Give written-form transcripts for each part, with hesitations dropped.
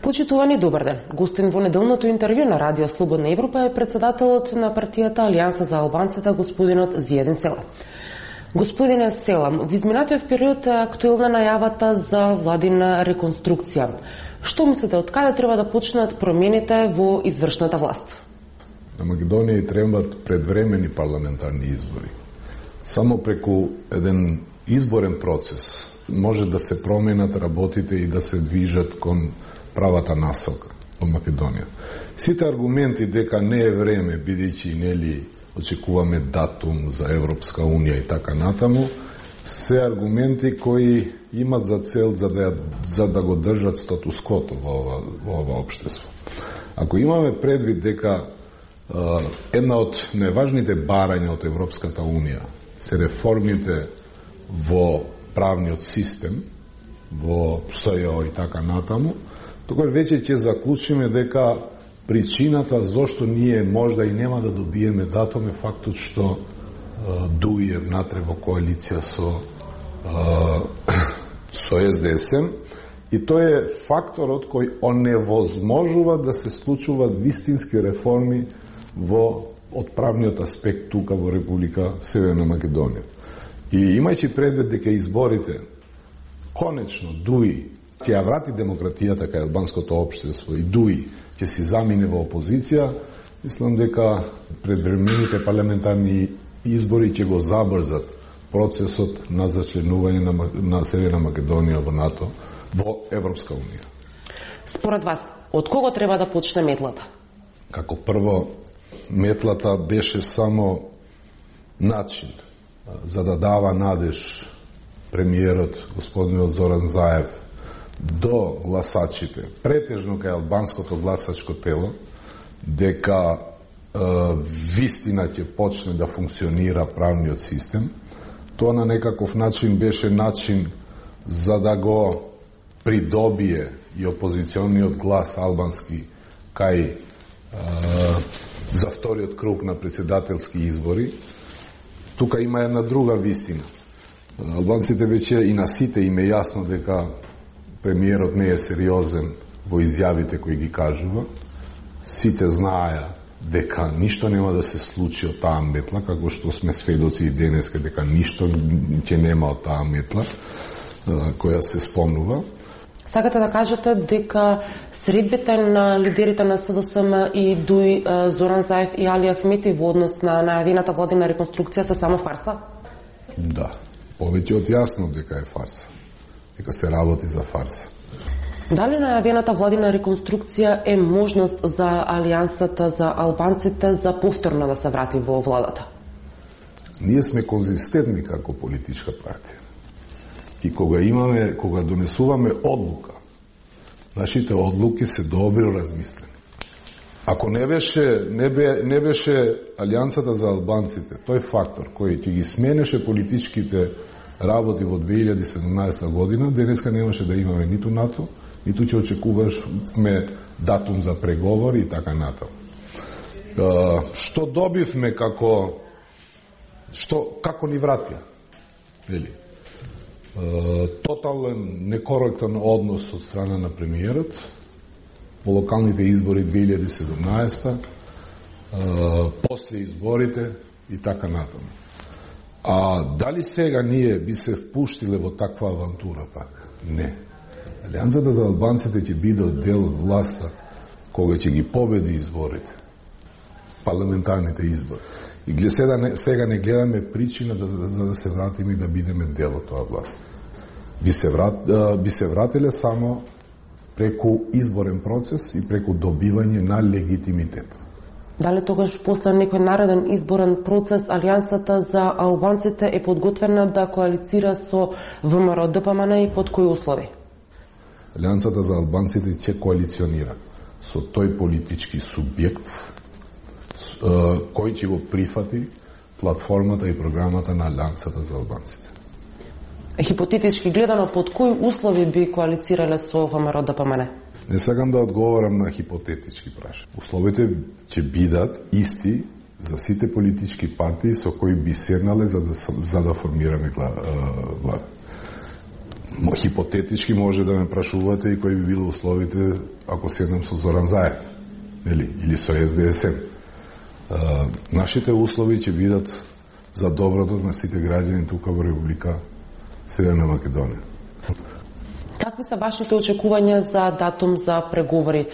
Почитувани, добар ден. Гостин во неделното интервју на Радио Слободна Европа е председателот на партијата Алијанса за албанците, господинот Зиједин Села. Господине Села, во изминатиот период е актуелна најавата за владина реконструкција. Што мислите, од каде треба да почнат промените во извршната власт? На Македонија требаат предвремени парламентарни избори. Само преку еден изборен процес може да се променат работите и да се движат кон правата насока во Македонија. Сите аргументи дека не е време, бидејќи нели очекуваме датум за Европска унија и така натаму, се аргументи кои имат за цел за да го држат статуското во ова општество. Ако имаме предвид дека една од најважните барања од Европската унија се реформите во правниот систем, во СЈО и така натаму, тогаш веќе ќе заклучиме дека причината зошто ние можда и нема да добиеме датум е фактот што дуе внатре во коалиција со СДСМ, и тој е факторот кој оневозможува да се случуваат вистински реформи од правниот аспект тука во Република Северна Македонија. И имајќи предвид дека изборите конечно ДУИ ќе ја врати демократијата кај албанското општество и ДУИ ќе си замине во опозиција, мислам дека предвремените парламентарни избори ќе го забрзат процесот на зачленување на Северна Македонија во НАТО, во Европска унија. Според вас, од кого треба да почне метлата? Како прво, метлата беше само начин за да дава надеж премиерот господинот Зоран Заев до гласачите, претежно кај албанското гласачко тело, дека вистина ќе почне да функционира правниот систем. Тоа на некаков начин беше начин за да го придобие и опозициониот глас албански кај за вториот круг на председателски избори. Тука има една друга вистина. Албанците веќе и на сите им е јасно дека премиерот не е сериозен во изјавите кои ги кажува. Сите знаеа дека ништо нема да се случи од таа метла, како што сме сведоци и денеска дека ништо ќе нема од таа метла која се спомнува. Сакате да кажете дека средбите на лидерите на СДСМ и ДУИ Зоран Заев и Али Ахмети во однос на најавената владина реконструкција се само фарса? Да, повеќе од јасно дека е фарса. Дека се работи за фарса. Дали најавената владина реконструкција е можност за Алијансата за албанците за повторно да се врати во владата? Ние сме конзистентни како политичка партија. И кога донесуваме одлука, нашите одлуки се добро размислени. Ако не беше Алијансата за албанците, тој фактор кој ќе ги сменеше политичките работи во 2017 година, денеска немаше да имаме ниту НАТО, ниту ќе очекуваме датум за преговори и така натаму. Што добивме како ни вратија? Тотален некоректен однос од страна на премиерот во локалните избори 2017, после изборите и така натаму. А дали сега ние би се впуштиле во таква авантура пак? Не. Алијансата за албанците ќе биде дел од власта кога ќе ги победи изборите, парламентарните избори. И сега не гледаме причина за да се вратиме и да бидеме дел од тоа власт. Би се вратиле само преку изборен процес и преку добивање на легитимитет. Дали тогаш после некој нареден изборен процес Алијансата за албанците е подготвена да коалицира со ВМРО ДПМН и под кои услови? Алијансата за албанците ќе коалиционира со тој политички субјект кој ќе го прифати платформата и програмата на Алијансата за албанците. Хипотетички гледано, под кои услови би коалицирале со ВМРО ДПМН? Не сакам да одговорам на хипотетички прашања. Условите ќе бидат исти за сите политички партии со кои би седнале за да формираме влада. Хипотетички може да ме прашувате и кои би било условите ако седнам со Зоран Заев, или со СДСМ. Нашите услови ќе бидат за доброто на сите граѓани тука во Република Северна Македонија. Какви се вашите очекувања за датум за преговори?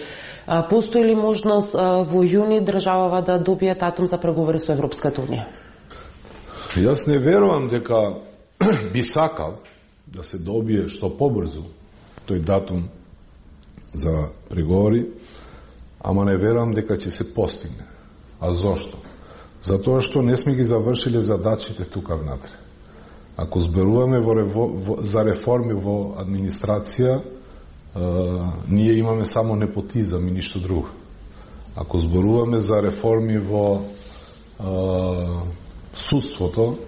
Постои ли можност во јуни државава да добие датум за преговори со Европската унија? Јас не верувам дека би сакал да се добие што побрзо тој датум за преговори, ама не верувам дека ќе се постигне. А зошто? Затоа што не сме ги завршиле задачите тука внатре. Ако зборуваме за реформи во администрација, ние имаме само непотизам и ништо друго. Ако зборуваме за реформи во судството,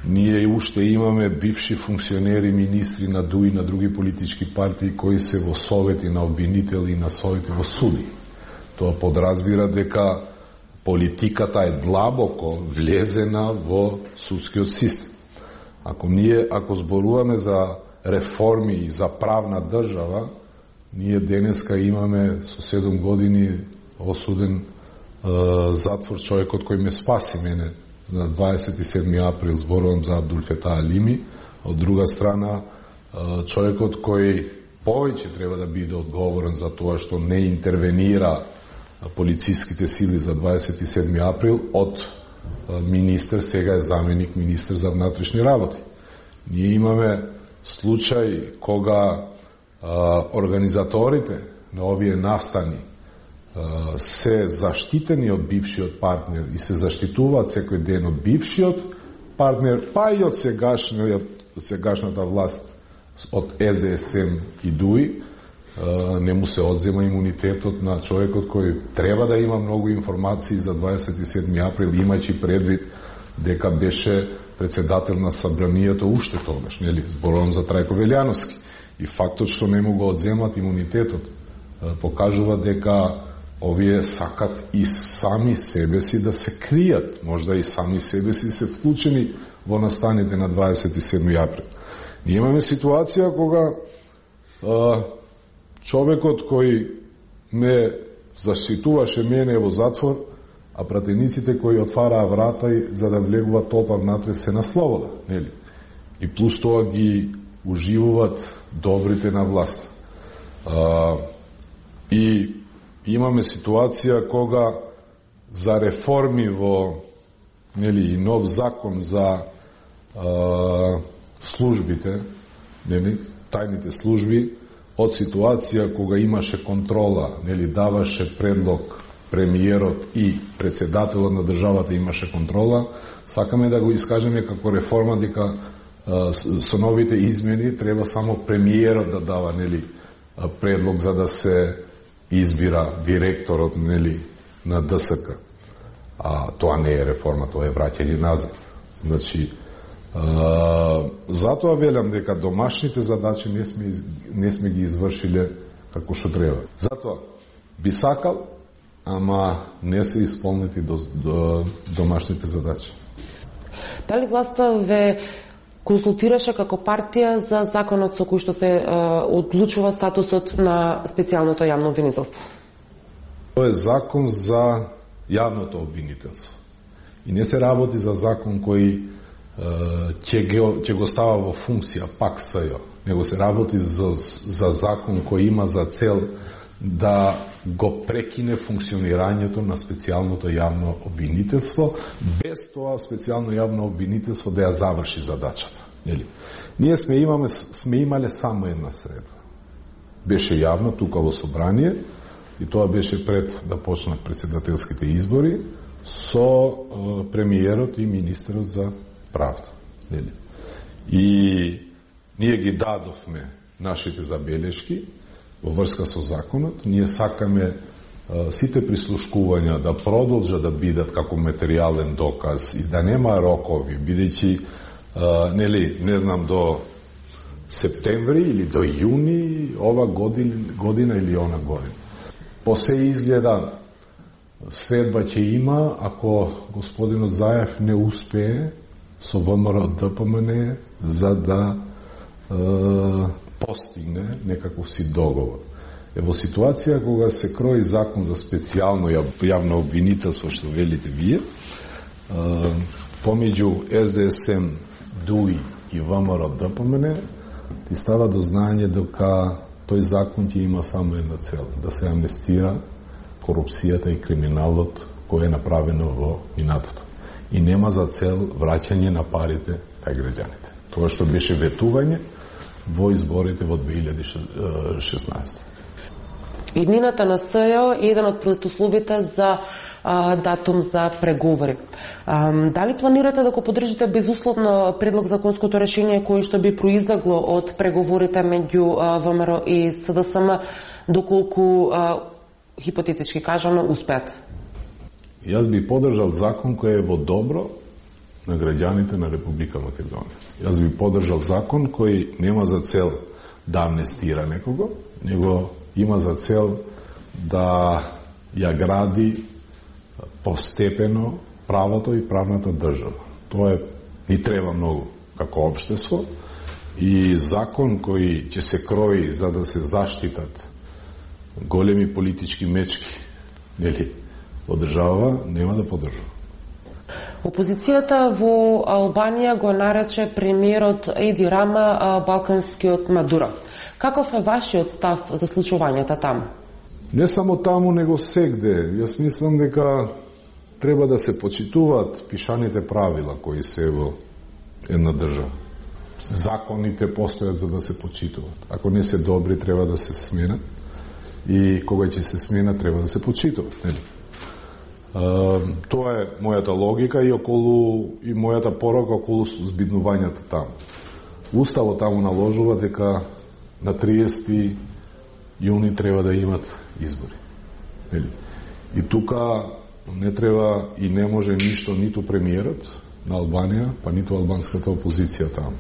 ние уште имаме бивши функционери, министри на ДУИ и на други политички партии кои се во совети на обвинители и на совети во суди. Тоа подразбира дека политиката е длабоко влезена во судскиот систем. Ако зборуваме за реформи и за правна држава, ние денеска имаме со 7 години осуден затвор човекот кој ме спаси мене на 27. април, зборувам за Абдулфета Алими, од друга страна човекот кој повеќе треба да биде одговорен за тоа што не интервенира полициските сили за 27. април од министер, сега е заменик министер за внатрешни работи. Ние имаме случај кога организаторите на овие настани се заштитени од бившиот партнер и се заштитуваат секој ден од бившиот партнер, па и од сегашната власт, од СДСМ и ДУИ, не му се одзема имунитетот на човекот кој треба да има многу информации за 27. април, имајќи предвид дека беше председател на Собранието уште тогаш, нели? Зборувам за Трајко Велјановски. И фактот што не му го одземат имунитетот покажува дека овие сакат и сами себе си да се кријат, можда и сами себе си се вклучени во настаните на 27. април. Ние имаме ситуација кога човекот кој ме заштитуваше мене во затвор, а пратениците кои отвараа врата и за да влегуваат толпа внатре се на слобода, нели? И плюс тоа ги уживуваат добрите на власт. И имаме ситуација кога за реформи во, нели, и нов закон за службите, нели, тајните служби, од ситуација кога имаше контрола, нели, даваше предлог премиерот и председателот на државата имаше контрола, сакаме да го искажеме како реформа дека со новите измени треба само премиерот да дава, нели, предлог за да се избира директорот, нели, на ДСК. А тоа не е реформа, тоа е враќање назад. Значи, затоа велам дека домашните задачи не сме ги извршиле како што треба. Затоа би сакал, ама не се исполнети до домашните задачи. Дали власта ве консултираше како партија за законот со кој што се одлучува статусот на специјалното јавно обвинителство? Тоа е закон за јавното обвинителство. И не се работи за закон кој ќе го става во функција пак СЈО, него се работи за закон кој има за цел да го прекине функционирањето на специјалното јавно обвинителство, без тоа специјално јавно обвинителство да ја заврши задачата. Нели? Ние сме имале само една средба. Беше јавно тука во собрание и тоа беше пред да почнат председателските избори со премиерот и министерот за правда. Нели? И ние ги дадовме нашите забелешки во врска со законот. Ние сакаме сите прислушкувања да продолжат да бидат како материјален доказ и да нема рокови, бидејќи нели, не знам, до септември или до јуни ова година или она година. По се изгледа следба ќе има ако господинот Заев не успее со ВМРО ДПМН за да постигне некаков си договор. Во ситуација кога се крои закон за специјално јавно обвинителство, што велите вие, помеѓу СДСМ, ДУИ и ВМРО ДПМН, ти става до знаење дека тој закон ќе има само една цел, да се амнестира корупцијата и криминалот кој е направено во минатото. И нема за цел враќање на парите кај граѓаните. Тоа што беше ветување во изборите во 2016. Иднината на СЈО е еден од предусловите за датум за преговори. Дали планирате да го поддржите безусловно предлог законското решение кој што би произлегло од преговорите меѓу ВМРО и СДСМ, доколку хипотетички кажано успеат? Јас би поддржал закон кој е во добро на граѓаните на Република Македонија. Јас би поддржал закон кој нема за цел да амнестира некого, него има за цел да ја гради постепено правото и правната држава. Тоа ни треба многу како општество и закон кој ќе се крои за да се заштитат големи политички мечки, нели, во држава, нема да поддржува. Опозицијата во Албанија го нарече премиерот Еди Рама балканскиот Мадуро. Каков е вашиот став за случувањата таму? Не само таму, него сегде. Јас мислам дека треба да се почитуваат пишаните правила кои се во една држава. Законите постојат за да се почитуваат. Ако не се добри, треба да се сменат. И кога ќе се смена, треба да се почитуваат. Тоа е мојата логика и мојата порока околу збиднувањата таму. Уставот таму наложува дека на 30 јуни треба да имат избори. И тука не треба и не може ништо ниту премиерот на Албанија, па ниту албанската опозиција таму.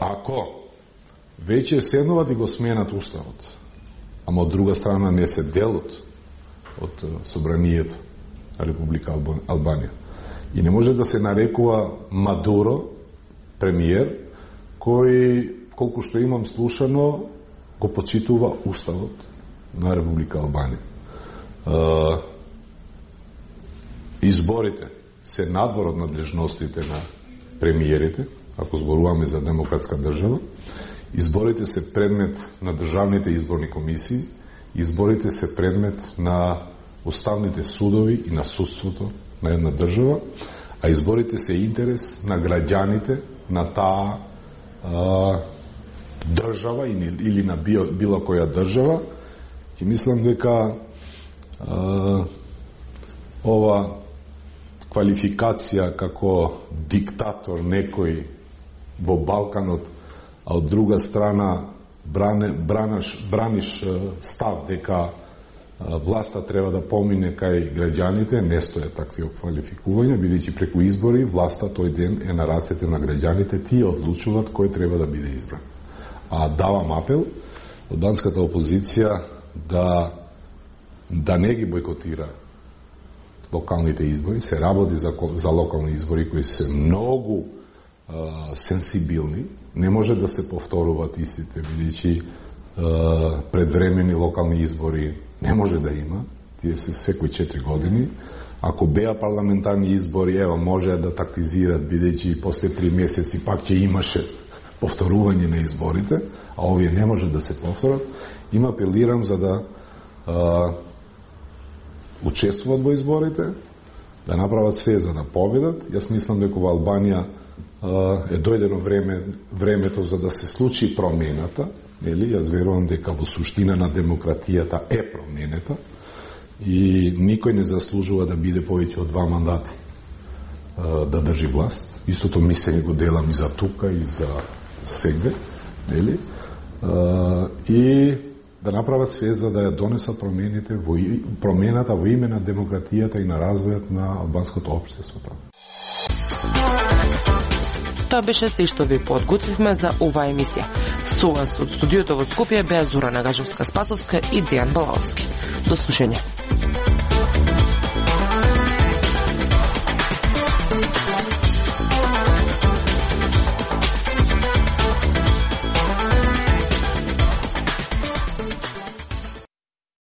Ако веќе седнуват и го сменат уставот, ама од друга страна не се делот од собранието на Република Албанија. И не може да се нарекува Мадуро премиер, кој, колку што имам слушано, го почитува уставот на Република Албанија. Изборите се надвор од надлежностите на премиерите, ако зборуваме за демократска држава. Изборите се предмет на државните изборни комисии, изборите се предмет на уставните судови и на судството на една држава, а изборите се интерес на граѓаните на таа држава или на било која држава. И мислам дека ова квалификација како диктатор некој во Балканот, а од друга страна браниш став дека власта треба да помине кај граѓаните, не стоја такви квалификувања, бидејќи преку избори власта тој ден е на рацете на граѓаните, тие одлучуваат кој треба да биде избран. А давам апел албанската опозиција да не ги бойкотира локалните избори, се работи за локални избори кои се многу сенсибилни, не може да се повторуваат истите, бидејќи предвремени локални избори не може да има, тие се секој 4 години. Ако беа парламентарни избори, може да тактизират, бидејќи после 3 месеци пак ќе имаше повторување на изборите, а овие не може да се повторат. Им апелирам за да учествуват во изборите, да направат све за да победат. Јас мислам дека во Албанија е дојдено времето за да се случи промената, нели? Јас верувам дека во суштина на демократијата е променета и никој не заслужува да биде повеќе од 2 мандати да држи власт. Истото мислење го делам и за тука и за сегде, нели? И да направат све за да ја донесат промената во име на демократијата и на развојот на албанското општество. Тоа беше се што ви подготвивме за оваа емисија. Со вас од студиото во Скопје беа Зора Нагажевска-Спасовска и Дејан Балаовски. До слушање.